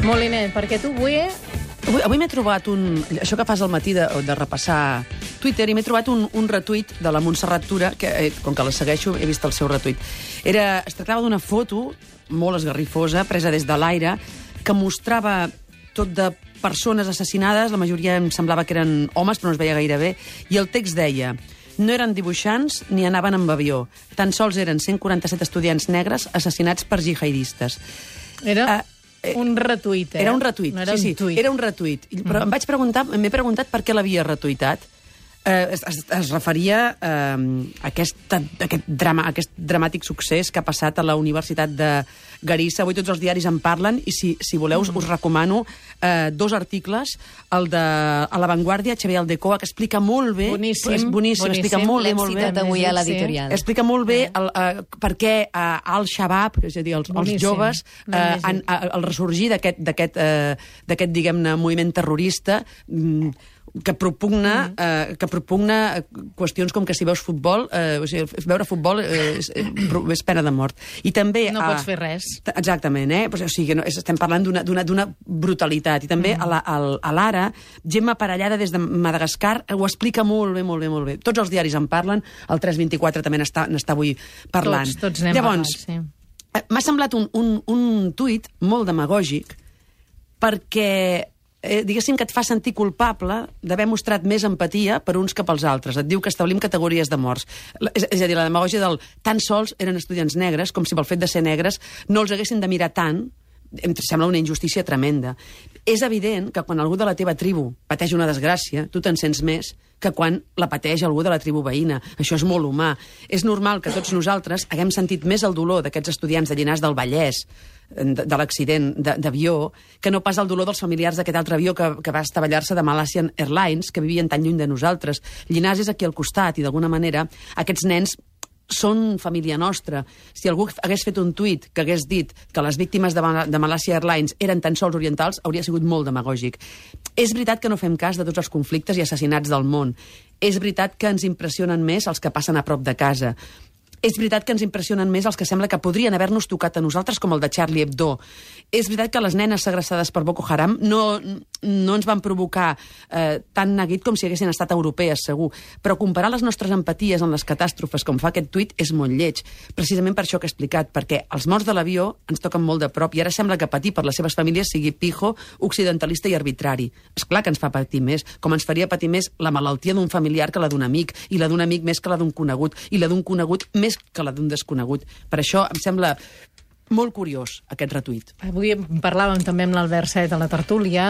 Moliner, perquè tu avui... Avui m'he trobat això que fas al matí de repassar Twitter, i m'he trobat un retuit de la Montserrat Tura, que, com que la segueixo, he vist el seu retuit. Es tractava d'una foto molt esgarrifosa, presa des de l'aire, que mostrava tot de persones assassinades, la majoria em semblava que eren homes, però no es veia gaire bé, i el text deia: no eren dibuixants ni anaven amb avió, tan sols eren 147 estudiants negres assassinats per jihadistes. Era un retuit, Era un retuit, no era sí, un tuit. Era un retuit. Però m'he preguntat per què l'havia retuitat. Es referia a aquest dramàtic succés que ha passat a la Universitat de Garissa. Avui tots els diaris en parlen, i si voleu us recomano dos articles, el de A La Vanguardia, Xavier Aldecoa, que explica molt bé... Boníssim. Explica molt bé. L'hem citat avui a l'editorial. Explica molt bé per què Al-Shabaab, és a dir, els joves, el ressorgir d'aquest diguem-ne, moviment terrorista, que propugna qüestions com que si veus futbol, veure futbol és pena de mort. I també... No pots fer res. Exactament, O sigui, estem parlant d'una brutalitat. I també a l'Ara, gent aparellada des de Madagascar ho explica molt bé. Tots els diaris en parlen, el 324 també n'està avui parlant. Tots n'hem parlat, sí. M'ha semblat un tuit molt demagògic, perquè diguéssim que et fa sentir culpable d'haver mostrat més empatia per uns que pels altres. Et diu que establim categories de morts. És a dir, la demagògia del tan sols eren estudiants negres, com si pel fet de ser negres no els haguessin de mirar tant. Em sembla una injustícia tremenda. És evident que quan algú de la teva tribu pateix una desgràcia, tu te'n sents més que quan la pateix algú de la tribu veïna. Això és molt humà. És normal que tots nosaltres haguem sentit més el dolor d'aquests estudiants de Llinars del Vallès, de l'accident d'avió, que no pas el dolor dels familiars d'aquest altre avió que va estavellar-se de Malaysian Airlines, que vivien tan lluny de nosaltres. Llinars és aquí al costat, i d'alguna manera aquests nens són família nostra. Si algú hagués fet un tuit que hagués dit que les víctimes de Malaysia Airlines eren tan sols orientals, hauria sigut molt demagògic. És veritat que no fem cas de tots els conflictes i assassinats del món. És veritat que ens impressionen més els que passen a prop de casa. És veritat que ens impressionen més els que sembla que podrien haver-nos tocat a nosaltres, com el de Charlie Hebdo. És veritat que les nenes segrestades per Boko Haram no ens van provocar tant neguit com si haguessin estat europees, segur. Però comparar les nostres empaties amb les catàstrofes, com fa aquest tuit, és molt lleig. Precisament per això que he explicat, perquè els morts de l'avió ens toquen molt de prop, i ara sembla que patir per les seves famílies sigui pijo, occidentalista i arbitrari. És clar que ens fa patir més, com ens faria patir més la malaltia d'un familiar que la d'un amic, i la d'un amic més que la d'un conegut, i la d'un conegut més que la d'un desconegut. Per això em sembla molt curiós aquest retuit. Avui parlàvem també amb l'Albert Set a la tertúlia.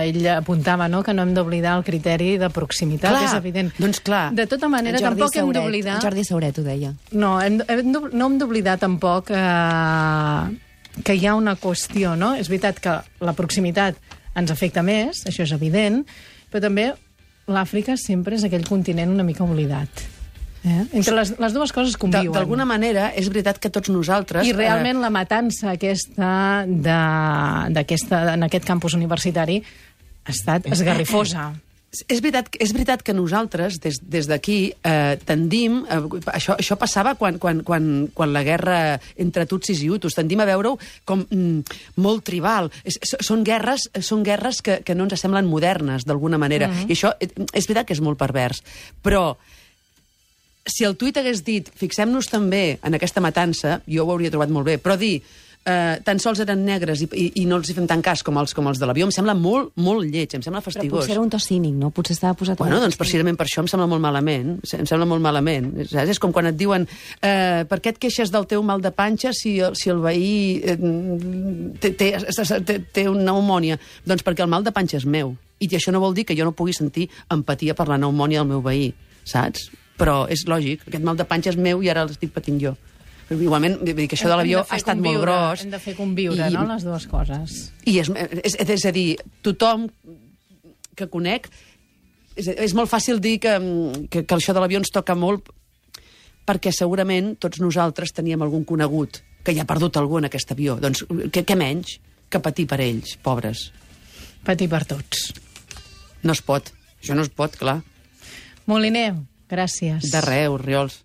Ell apuntava que no hem d'oblidar el criteri de proximitat, clar, és evident. Doncs clar. De tota manera, tampoc hem d'oblidar... Jordi Sauret ho deia. No hem d'oblidar tampoc que hi ha una qüestió, no? És veritat que la proximitat ens afecta més, això és evident, però també l'Àfrica sempre és aquell continent una mica oblidat. Entre les dues coses conviuen. D'alguna manera, és veritat que tots nosaltres... I realment la matança aquesta en aquest campus universitari ha estat esgarrifosa. És veritat que nosaltres, des d'aquí, tendim... Això passava quan la guerra entre tutsis i hutus. Tendim a veure-ho com molt tribal. Són guerres que no ens semblen modernes, d'alguna manera. I això és veritat que és molt pervers. Però si el tuit hagués dit fixem-nos també en aquesta matança, jo ho hauria trobat molt bé, però dir tan sols eren negres i no els hi fem tant cas com els de l'avió, em sembla molt, molt lleig, em sembla fastigós. Però potser era un to cínic, no? Potser estava posat... Bueno, doncs precisament per això em sembla molt malament. Saps? És com quan et diuen per què et queixes del teu mal de panxa si el veí té una pneumònia? Doncs perquè el mal de panxa és meu. I això no vol dir que jo no pugui sentir empatia per la pneumònia del meu veí, saps? Però és lògic, aquest mal de panxa és meu i ara l'estic patint jo. Igualment, vull dir que això de l'avió ha estat molt gros. Hem de fer conviure, no?, les dues coses. I és a dir, tothom que conec... És molt fàcil dir que això de l'avió ens toca molt, perquè segurament tots nosaltres teníem algun conegut que ja ha perdut algú en aquest avió. Doncs què menys que patir per ells, pobres. Patir per tots. No es pot. Això no es pot, clar. Moliner, gràcies. De res, Orriols.